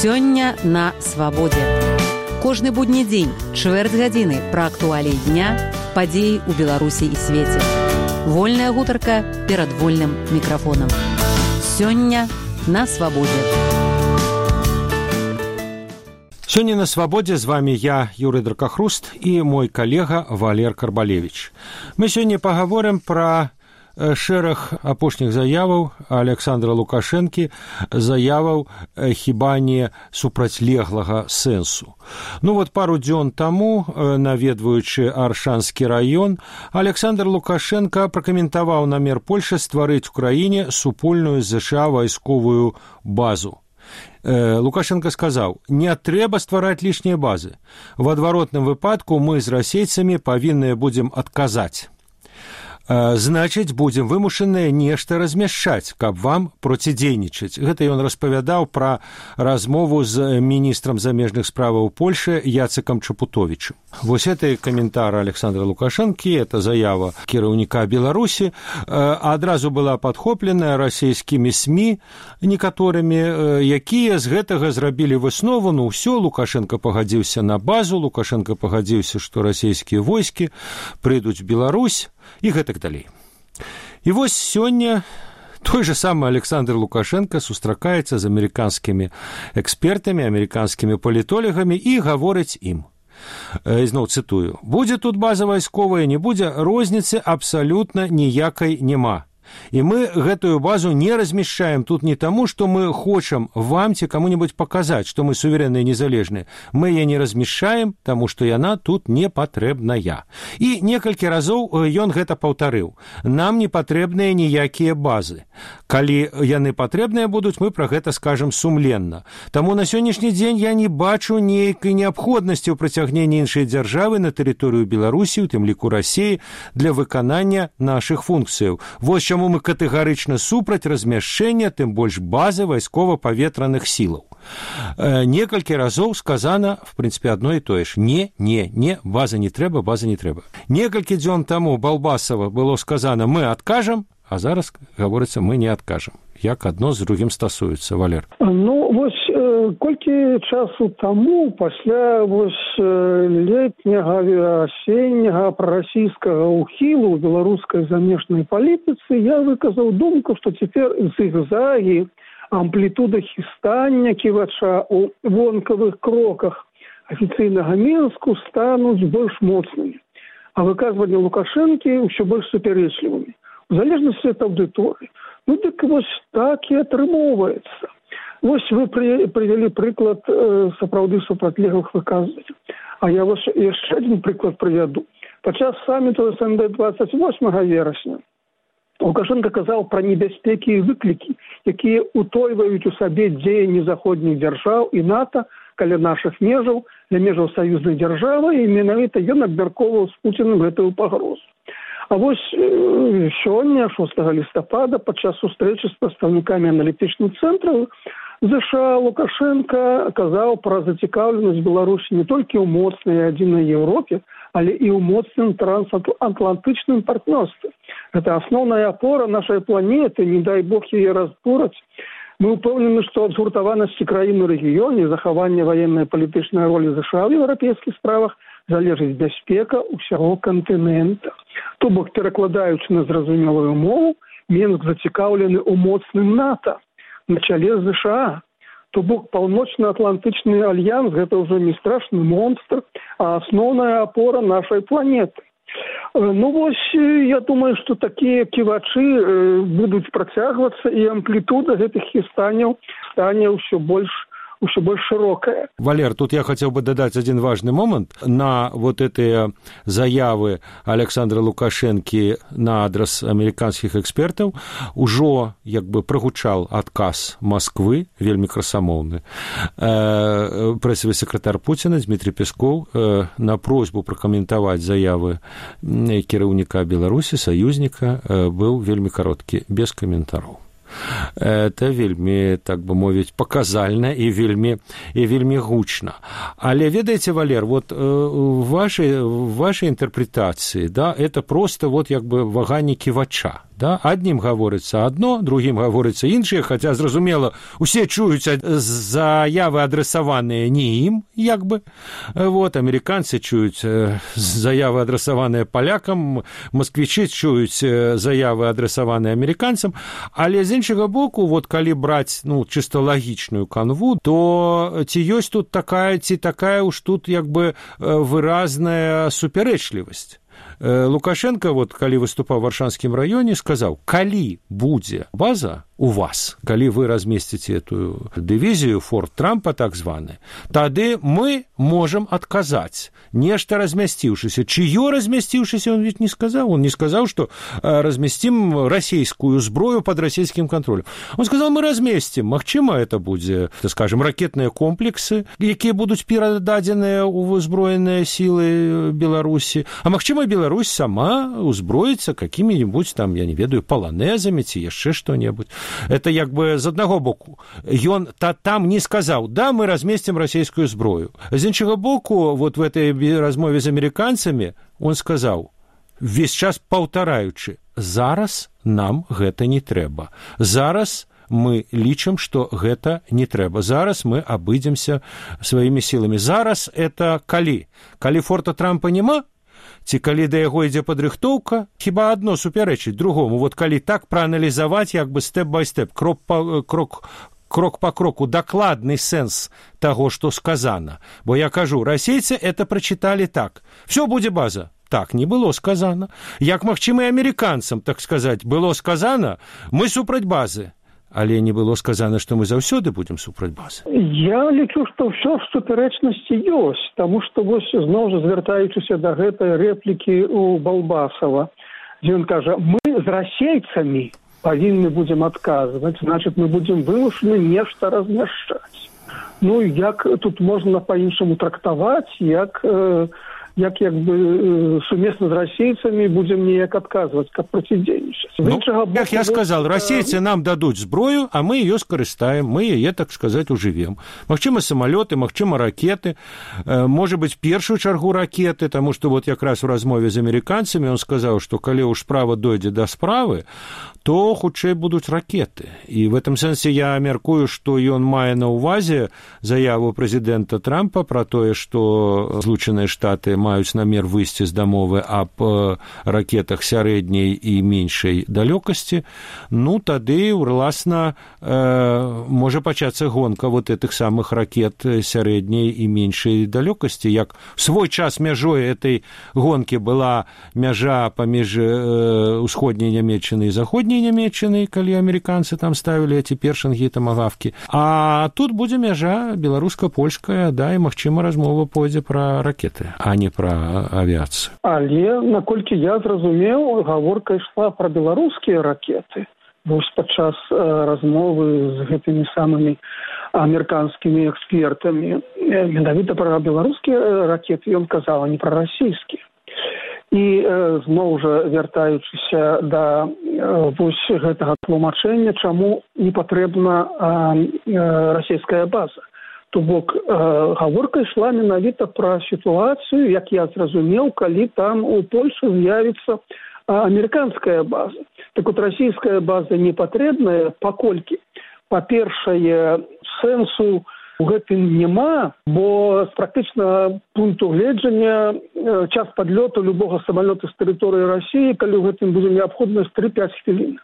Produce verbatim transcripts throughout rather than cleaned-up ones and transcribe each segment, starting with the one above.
Сёння на свабодзе. Кожны будні дзень, чвэрць гадзіны пра актуаліі дня, падзеі ў Беларусі і свеце. Вольная гутарка перад вольным мікрафонам. Сёння на свабодзе. Сёння на свабодзе з вами я, Юрый Дракахруст, і мой калега Валер Карбалевич. Мы сёння пагаворым пра шэраг апошніх заяваў Александра Лукашэнкі, заяваў хіба не супрацьлеглага сэнсу. Ну вот пару дзён таму, наведваючы Аршанскі раён, Александр Лукашенко пракаментаваў намер Польшы стварыць у краіне супольную з ЗША вайсковую базу. Лукашенко сказаў: «Не трэба ствараць лішнія базы. В адваротным выпадку мы з расейцамі павінныя будзем адказаць. Значыць, будзем вымушаныя нешта размяшчаць, каб вам процідзейнічаць». Гэта ён распавядаў пра размову з міністрам замежных справаў Польшы Яцекам Чапутовічам. Вось это каментар Александра Лукашэнкі, это заява кіраўніка Беларусі, адразу была падхопленая расійскімі СМІ некаторымі, якія з гэтага зрабілі выснову: ну ўсё, Лукашенко пагадзіўся на базу, Лукашенко пагадзіўся, што расійскія войскі прыйдуць в Беларусь, і гэтак далей. І вось сёння той же самы Александр Лукашенко сустракаецца з амерыканскімі экспертамі, амерыканскімі палітолагамі і гаворыць ім. Ізноў цытую: «Будзе тут база вайсковая, не будзе, розніцы абсалютна ніякай няма. І мы гэтую базу не размяшчаем тут не таму, што мы хочам вам ці каму-нибудь паказаць, што мы суверэнныя і незалежныя. Мы яе не размяшчаем, таму што яна тут не патрэбная». І некалькі разоў ён гэта паўтарыў: «Нам не патрэбныя ніякія базы. Калі яны патрэбныя будуць, мы пра гэта скажам сумленна. Таму на сённяшні дзень я не бачу нейкай неабходнасці ў прыцягненні іншай дзяржавы на тэрыторыю Беларусі, у тым ліку Расіі, для выканання нашых функцыяў. Вось чаму мы катэгарычна супраць размяшчэння, тым больш базы вайскова-паветраных сілаў». Некалькі разоў сказана, в прынцыпе, адно і тое ж: не, не, не, база не трэба, база не трэба. Некалькі дзён таму Балбасава было сказана: мы адкажам, а зараз гаворыцца: мы не адкажам. Як адно з другім стасуецца, Валер? Ну, вось э, колькі часу таму, пасля вось э, летняга, асенняга прарасійскага ўхілу ў беларускай замежнай палітыцы, я выказаў думку, што цяпер зігзагі, амплітуда хістання ківача ў вонкавых кроках афіцыйнага Мінску стануць больш моцнымі, а выказванні Лукашэнкі ўсё больш супярэчлівымі, у залежнасці ад аўдыторыі. Ну, так вось так і атрымоўваецца. Вось вы пры, прывялі прыклад э, сапраўды супрацьлеглых выказванняў. А я вось яшчэ адзін прыклад прывяду. Падчас саміту СНД двадцать восьмага верасня Лукашенко казаў пра небяспекі і выклікі, якія утойваюць у сабе дзеянні заходніх дзяржаў і НАТО каля нашых межаў, для межаў саюзнай дзяржавы, і менавіта ён абмяркоўваў з Пуцінам гэтую пагрозу. А вось э, сёння, шостага лістапада, падчас сустрэчы з прадстаўнікамі аналітычных цэнтраў ЗША, Лукашенко казаў пра зацікаўленасць Беларусі не толькі ў моцнай адзінай Еўропе, але і ў моцным трансатлантычным партнёрстве. Гэта асноўная апора нашай планеты, не дай Бог яе разбураць. Мы ўпэўнены, што ад згуртаванасці краін у рэгіёне, захавання ваеннай палітычнай ролі ЗША ў еўрапейскіх справах залежыць бяспека ўсяго кантынента. То бок, перакладаючы на зразумелую мову, Мінск зацікаўлены ў моцным НАТО на чале з ЗША. То бок, паўночна-атлантычны альянс – гэта ўжо не страшны монстр, а асноўная апора нашай планеты. Ну вось, я думаю, што такія ківачы будуць працягвацца, і амплітуда гэтых хістанняў стане ўсё больш ўсё больш шырокая. Валер, тут я хотел бы дадаць один важный момент. На вот эти заявы Александра Лукашэнкі на адрес амерыканскіх экспертаў ужо як бы прагучаў адказ Москвы, вельмі красамоўны. Э, прэсавы сакратар Пуціна Дмітрий Пескоў э, на просьбу пракаментаваць заявы кіраўніка Беларусі, саюзніка, э, быў вельмі кароткі, без каментараў. Это вельмі, так бы мовіць, паказальна і вельмі, і вельмі гучна. Але ведаеце, Валер, вот в вашей, в вашей интерпретации, да, это просто вот як бы ваганне ківача, Да? Аднім гаворыцца адно, другім гаворыцца іншае, хаця, зразумела, усе чуюць заявы адрасаваныя не ім, як бы. Вот, амерыканцы чуюць заявы адрасаваныя палякам, масквічы чуюць заявы адрасаваныя амерыканцам, але з іншага боку, вот калі браць, ну, чыста лагічную канву, то ці ёсць тут такая, ці такая уж тут, як бы, выразная супярэчлівасць. Лукашенко, вот, калі выступаў у Варшанскім раёне, сказаў, калі будзе база у вас, калі вы размесціце эту дывізію, форт Трампа, так званы, тады мы можам адказаць, нешта размясціўшыся. Чыё размясціўшыся, он ведь не сказаў. Он не сказаў, што разместим расійскую зброю под расійскім кантролем. Он сказаў, мы разместим. Магчыма, это будзе, скажем, ракетныя комплексы, якія будуць перададзеныя ў узброеныя сілы Беларусі. А магчыма, Беларусь сама узброіцца какімі-нибудь там, я не ведаю, паланезамі ці яшчэ што-небудзь. Это як бы з аднаго боку. Ён та, там не сказаў, да, мы разместим расійскую зброю. З іншага боку, вот в этой размове з амерыканцамі он сказаў, весь час паўтараючы, зараз нам гэта не трэба. Зараз мы лічым, што гэта не трэба. Зараз мы абыдземся сваімі сіламі. Зараз это калі? Калі форта Трампа няма? Ці калі да яго ідзе падрыхтоўка, хіба адно супярэчыць другому. Вот калі так прааналізаваць, як бы стэп-бай-стэп, крок па крок, крок па кроку, дакладны сэнс таго, што сказана. Бо я кажу, расейцы это прачыталі так. Всё будзе база. Так не было сказана. Як магчыма і амерыканцам, так сказаць, было сказана, мы супраць базы. Але не было сказано, што мы заўсёды будзем супраць базы. Я лічу, што ўсё в супярэчнасці ёсць, таму што вось зноў жа звяртаючыся да гэтай рэплікі у Балбасава, дзе ён кажа, мы з расейцамі павінны будзем адказваць, значыць, мы будзем вымушаны нешта размяшчаць. Ну, як тут можна па-іншаму трактаваць, як... Э, як як бы сумесна з расейцамі будзем неяк адказваць, каб процідзейнічаць. Ну, як я сказал, расейцы нам дадуць зброю, а мы ее скарыстаем, мы яе, так сказаць, ужывем. Магчыма, самалёты, магчыма, ракеты, можа быць, першую чаргу ракеты, таму што вот якраз у размове з амерыканцамі он сказаў, што калі ўж справа дойдзе да справы, то хутчэй будуць ракеты. І в этом сэнсе я мяркую, што ён мае на ўвазе заяву прэзідэнта Трампа пра тое, што Злучаныя Штаты маюць намер выйсці з дамовы аб ракетах сярэдняй і меншай далёкасці, ну, тады, уласна, э, можа пачацца гонка вот этих самых ракет сярэдняй і меншай далёкасці. Як свой час мяжой этой гонкі была мяжа паміж э, усходняй Нямецчынай і заходняй Нямецчыны, калі амерыканцы там ставілі эти першынгі тамагавкі. А тут будзе мяжа беларуска-польская, да, і, магчыма, размова пойдзе пра ракеты, а не пра авіяцыю. Але, наколькі я зразумеў, гаворка ішла пра беларускія ракеты. Вось падчас э, размовы з гэтымі самымі амерыканскімі экспертамі. Менавіта пра беларускія ракеты ён казаў, а не пра расійскія. І э, зноў жа вяртаючыся да э, вось гэтага тлумачэння, чаму не патрэбна э, э, расійская база. То бок э, гаворка ішла менавіта пра сітуацыю, як я зразумеў, калі там у Польшы з'явіцца э, амерыканская база. Так вот, расійская база не патрэбная, паколькі, па-першае, сэнсу у гэтым няма, бо з практычна пункту гледжання час падлёту любога самалёта з тэрыторыі Расіі, калі ў гэтым будзе неабходнасць тры-пяць хвілін.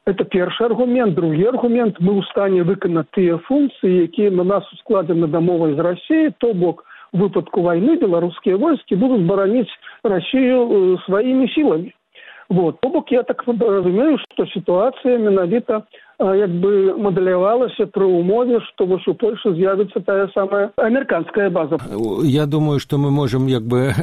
Это першы аргумент. Другі аргумент, мы ў стане выканаць тыя функцыі, якія на нас ускладзены дамовай з Расіяй, то бок у выпадку вайны беларускія войскі будуць бараніць Расію сваімі сіламі. Вот. То бок я так разумею, што сітуацыя менавіта як бы мадэлявалася пры ўмове, што вось у Польшы з'явіцца тая самая амерыканская база. Я думаю, што мы можам як бы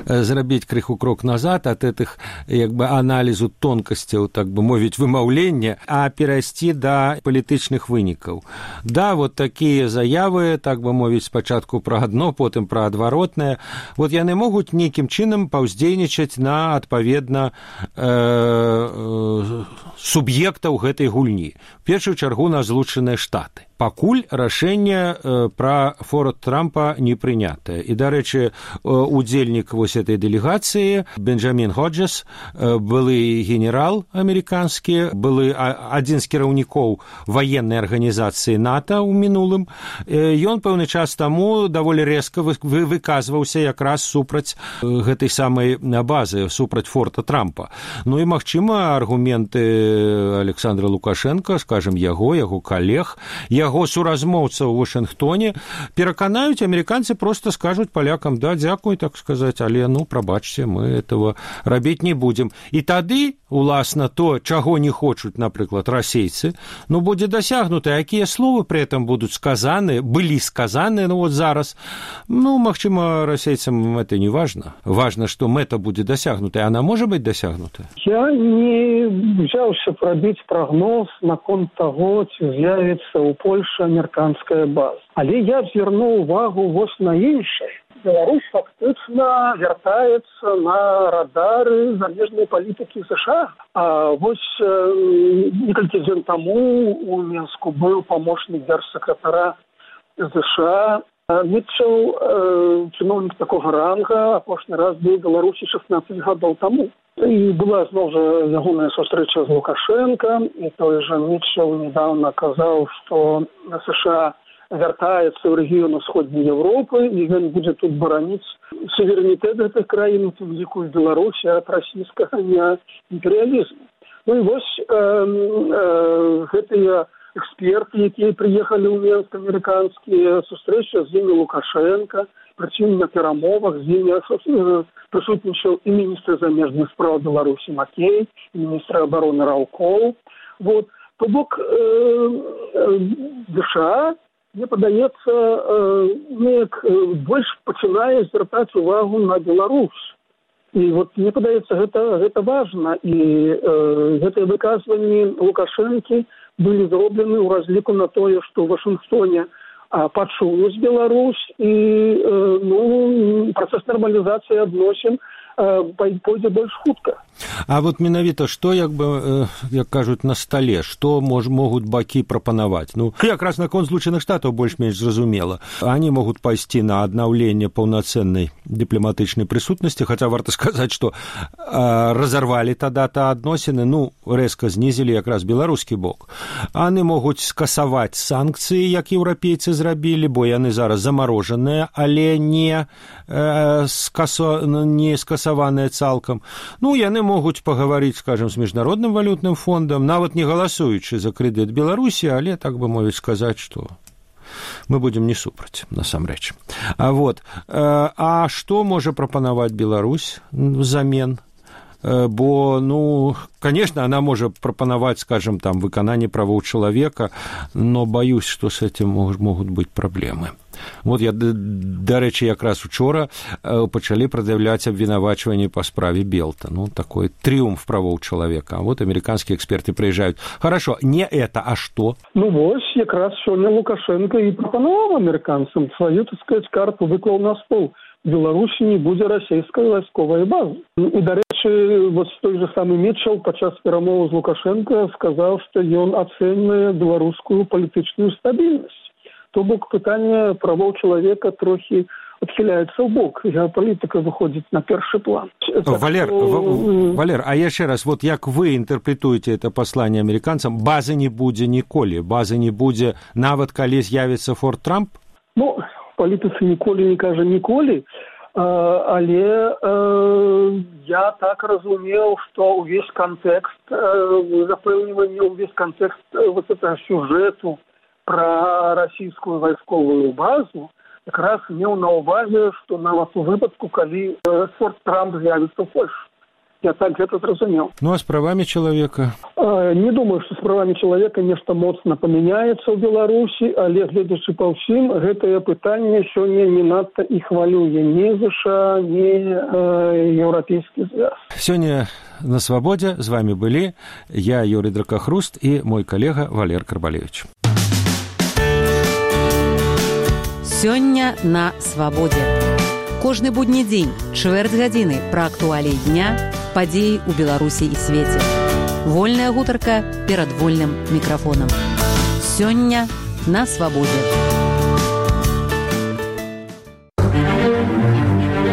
зрабіць крыху крок назад ад этих як бы аналізу тонкасцяў, так бы мовіць, вымаўлення, а перайсці да палітычных вынікаў. Да, вот такія заявы, так бы мовіць, спачатку пра адно, потым пра адваротнае, вот яны могуць нейкім чынам паўздзейнічаць на адпаведна э, э, суб'ектаў гэтай гульні. в першую чаргу на Злучаныя Штаты. Пакуль рашэнне э, пра форт Трампа не прынятае. І, дарэчы, э, удзельнік вось этой дэлегацыі Бенджамін Ходжес, э, былы генерал амерыканскі, былы а, адзін з кіраўнікоў ваеннай арганізацыі НАТО ў мінулым. Э, ён пэўны час таму даволі рэзка вы, вы, выказваўся якраз супраць э, гэтай самай базы, супраць форта Трампа. Ну і, магчыма, аргументы Александра Лукашенка, скажем, яго, яго калег, яго суразмоўца ў Вашынгтоне пераканаюць, амерыканцы просто скажуць палякам: да, дзякуй, так сказаць, але, ну, прабачце, мы этого рабіць не будзем. І тады, уласна, то, чаго не хочуць, напрыклад, расейцы, ну, будзе дасягнута. Якія словы пры этом будуць сказаны, былі сказаны, ну, вот зараз, ну, магчыма, расейцам это не важно. Важно, што мэта будзе дасягнутая. Она можа быць дасягнутая? Я не взяўся пробіць прагноз наконт таго, ці з'явіцца ў Польшы амерыканская база. Але я звернуў увагу вось на іншае. Беларусь фактычна вяртаецца на радары замежнай палітыкі США. А вось э, некалькі дзён таму у Мінску быў памочнік дзяржсакратара США Мітчел, э, чыноўнік такога ранга, апошні раз быў у Беларусі шаснаццаць гадоў таму. І была зноў жа ягоная сустрэча з Лукашенко, і той жа Мітчел недавно казаў, што США вяртаецца ў рэгіён усходняй Еўропы, і ён будзе тут бараніць суверэнітэт гэтых краін, у ліку Беларусі, ад расійскага імперыялізму. Ну і вось э, э, гэтыя эксперты, якія прыехалі ў Мінск, амерыканскія, сустрэча з імі Лукашенко, прычым на перамовах з імі прысутнічаў і міністр замежных спраў Беларусі Макей, і міністр абароны Раўкоў. Вот. То бок э, э, США, мне падаецца, э, неяк больш пачынае звяртаць увагу на Беларусь. І вот мне падаецца, гэта, гэта важна. І э, гэтыя выказванні Лукашэнкі былі зроблены ў разліку на тое, што ў Вашынгтоне пачуюць Беларусь, і э, ну, працэс нармалізацыі адносін пойдзе больш хутка. А вот менавіта што, як бы, як кажуць, на стале, што мож, могуць бакі прапанаваць? Ну, якраз наконт Злучаных Штатаў больш-менш зразумела. Они могуць пайсці на аднаўленне паўнацэннай дыпламатычнай прысутнасці, хаця варта сказаць, што а, разарвалі тада-то адносіны, ну, рэзка знізілі якраз беларускі бок. Они могуць скасаваць санкцыі, як еўрапейцы зрабілі, бо яны зараз замарожаныя, але не, э, скасо, не скасаваныя цалкам. Ну, яны могуць пагаварыць, скажем, з міжнародным валютным фондам, нават не галасуючы за крэдыт Беларусі, але, так бы мовіць, сказаць, што мы будзем не супраць, насамрэч. А вот, а што можа прапанаваць Беларусь взамен? Бо, ну, конечно, она может пропановать, скажем, там, выканание правоў чалавека, но боюсь, что с этим могут быть проблемы. Вот я, дарэчы, якраз учора пачалі прад'яўляць абвінавачванні па справе Белта. Ну, такой трыумф правоў чалавека. А вот американские эксперты приезжают. Хорошо, не это, а что? Ну, вось, якраз сёння Лукашенко і прапанаваў амерыканцам сваю, так сказать, карту выклаў на стол. В Беларусі не будзе расійскай вайсковай базы. І, дарэчы, вот той же самы Мітчел падчас перамовы з Лукашенко сказаў, што ён ацэньвае беларускую палітычную стабільнасць. То бок пытанне правоў чалавека трохі адхіляецца ў бок. Геапалітыка выходзіць на першы план. Валер, в, Валер, а яшчэ раз, вот як вы інтэрпрэтуеце это пасланне амерыканцам, базы не будзе ніколі, базы не будзе нават калі з'явіцца Форт Трамп? Ну, палітыцы ніколі не кажа ніколі, але э, я так разумеў, што ўвесь кантэкст э, запэўнівання, ўвесь кантэкст э, вот этого сюжэту пра расійскую вайсковую базу якраз меў на ўвазе, што нават у выпадку, калі э, Форт Трамп з'явіцца ў Польшы. Я так гэта зразумеў. Ну, а з правамі чалавека? Э, не думаю, што з правамі чалавека нешта моцна памяняецца ў Беларусі, але, гледзячы па ўсім, гэтае пытанне сёння не надта і хвалюе ні ЗША, ні э, Еўрапейскі звяз. Сёння на Свабодзе з вами былі я, Юрий Дракахруст, і мой калега Валер Карбалевич. Сёння на Свабодзе. Кожны будні дзень, чвэрць гадзіны пра актуаліі дня, падзеі ў Беларусі і свеце. Вольная гутарка перад вольным мікрафонам. Сёння на свабодзе.